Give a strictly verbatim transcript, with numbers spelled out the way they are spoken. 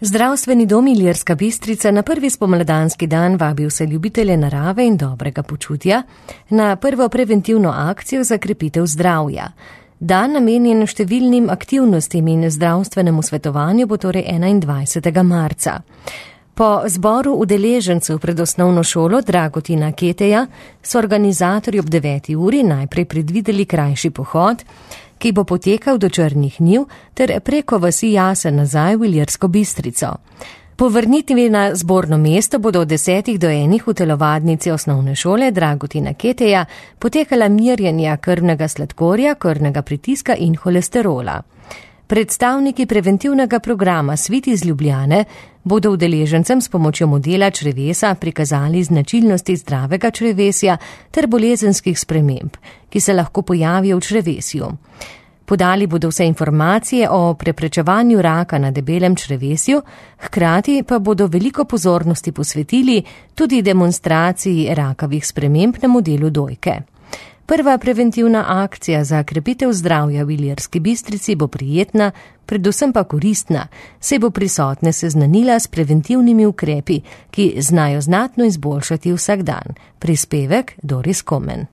Zdravstveni dom Ilirska Bistrica na prvi spomladanski dan vabi vse ljubitelje narave in dobrega počutja na prvo preventivno akcijo za krepitev zdravja. Dan namenjen številnim aktivnostim in zdravstvenemu svetovanju bo torej enaindvajsetega marca. Po zboru udeležencev pred osnovno šolo Dragotina Keteja so organizatorji ob deveti uri najprej predvideli krajši pohod, ki bo potekal do Črnih njiv ter preko vasi Jase nazaj v Ilirsko Bistrico. Po vrnitvi na zborno mesto bodo od desetih do enih v telovadnici osnovne šole Dragotina Keteja potekala merjenja krvnega sladkorja, krvnega pritiska in holesterola. Predstavniki preventivnega programa Svit iz Ljubljane bodo udeležencem s pomočjo modela črevesa prikazali značilnosti zdravega črevesja ter bolezenskih sprememb, ki se lahko pojavijo v črevesju. Podali bodo vse informacije o preprečevanju raka na debelem črevesju, hkrati pa bodo veliko pozornosti posvetili tudi demonstraciji rakavih sprememb na modelu dojke. Prva preventivna akcija za krepitev zdravja v Ilirski Bistrici bo prijetna, predvsem pa koristna, saj bo prisotne seznanila s preventivnimi ukrepi, ki znajo znatno izboljšati vsak dan. Prispevek Doris Komen.